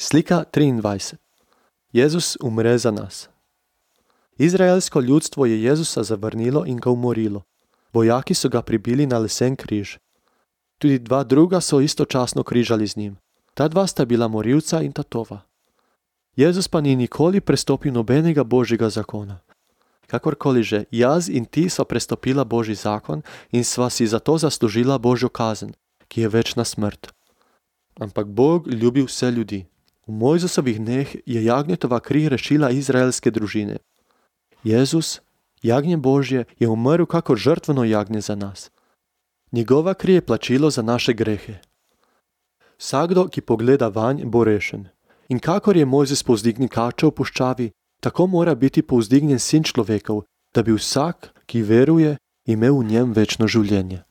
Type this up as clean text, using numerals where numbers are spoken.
Slika 23. Jezus umre za nas. Izraelsko ljudstvo je Jezusa zavrnilo in ga umorilo. Vojaki so ga pribili na lesen križ. Tudi dva druga so istočasno križali z njim. Ta dva sta bila morilca in tatova. Jezus pa ni nikoli prestopil nobenega Božjega zakona. Kakorkoli že, jaz in ti sva prestopila Božji zakon in sva si zato zaslužila Božjo kazen, ki je večna smrt. Ampak Bog ljubi vse ljudi. V Mojzesovih dneh je jagnjetova kri rešila izraelske družine. Jezus, jagnje Božje, je umrl kakor žrtveno jagnje za nas. Njegova kri je plačilo za naše grehe. Vsakdo, ki pogleda vanj, bo rešen. In kakor je Mojzes povzdignil kačo v puščavi, tako mora biti povzdignjen Sin človekov, da bi vsak, ki veruje, imel v njem večno življenje.